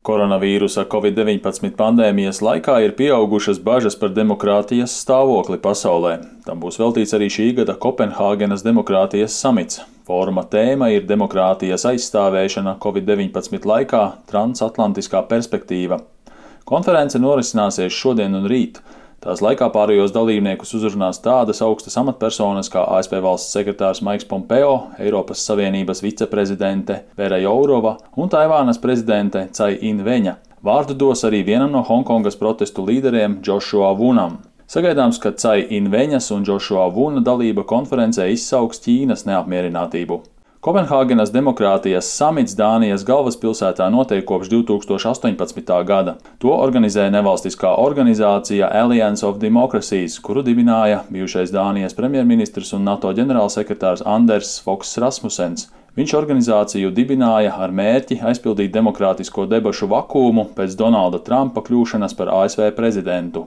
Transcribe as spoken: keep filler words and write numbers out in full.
Koronavīrusa covid deviņpadsmit pandēmijas laikā ir pieaugušas bažas par demokrātijas stāvokli pasaulē. Tam būs veltīts arī šī gada Kopenhāgenas demokrātijas samits. Fóruma tēma ir demokrātijas aizstāvēšana covid deviņpadsmit laikā – transatlantiskā perspektīva. Konference norisināsies šodien un rīt. Tās laikā pārējos dalībniekus uzrunās tādas augstas amatpersonas kā A S V valsts sekretārs Maiks Pompeo, Eiropas Savienības viceprezidente Vera Jourova un Taivānas prezidente Cai In-veņa. Vārdu dos arī vienam no Honkongas protestu līderiem Džošua Vunam. Sagaidāms, ka Cai In-veņas un Džošua Vuna dalība konferencē izsauks Ķīnas neapmierinātību. Kopenhāgenas demokrātijas samits Dānijas galvaspilsētā notiek kopš divi tūkstoši astoņpadsmitā gada. To organizē nevalstiskā organizācija Alliance of Democracies, kuru dibināja bijušais Dānijas premjerministrs un NATO ģenerālsekretārs Anders Fogh Rasmussens. Viņš organizāciju dibināja ar mērķi aizpildīt demokrātisko debašu vakuumu pēc Donalda Trumpa kļūšanas par A S V prezidentu.